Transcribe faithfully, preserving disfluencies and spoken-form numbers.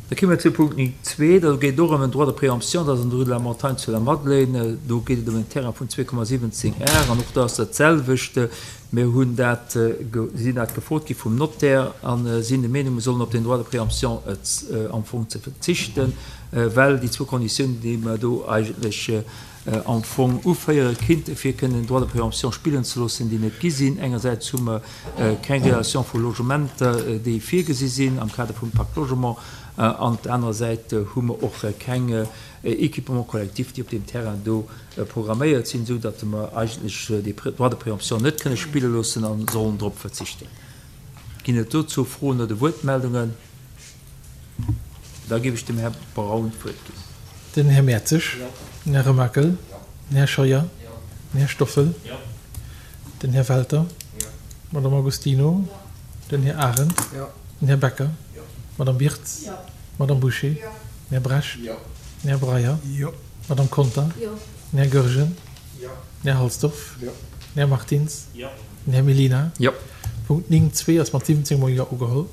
Da komme mer zu Punkt néng zwee, do geet et och ëm en Droit de préemption, dat ass an der Rue de la Montagne zu Lamadelaine. Do geet et ëm en Terrain vun zwee Komma siwwenzéng Ar an och do ass dat selwecht. Mir hunn dat, sinn dat gefrot gi vum Notaire a sinn der Meenung, mir sollen op deen Droit de préemption am Fong ze verzichten, well déi zwou Konditiounen, déi mer do eigentlech am Fong uféiere kinnten, fir kënnen den Droit de préemption spillen ze loossen, déi net gi sinn. Engersäits hu mer keng Relation vu Logementer, déi virgesi sinn am Kader vum Pacte Logement, an op der anerer Säit hu mer och keng Équipements collectifs, déi op deem Terrain do programméiert sinn, esou datt mer eigentlech dee Droit de préemption net kënne spille loossen a sollen drop verzichten. Ginn et dozou Froen oder Wuertmeldungen? Da géif ech dem Här Braun d'Wuert ginn. Den Här Mertzig, den Här Remakel, den Här Scheuer, den Här Stoffel, den Här Welter, d'Madame Agostino, den Här Arendt, den Här Becker, d'Madame Birtz, d'Madame Bouché, den Här Brecht, den Här Breyer, d'Madame Conter, den Här Goergen, den Här Halsdorf, den Här Martins, den Här Mellina. Punkt néng zwee ass mat siwwenzéng mol Jo ugeholl.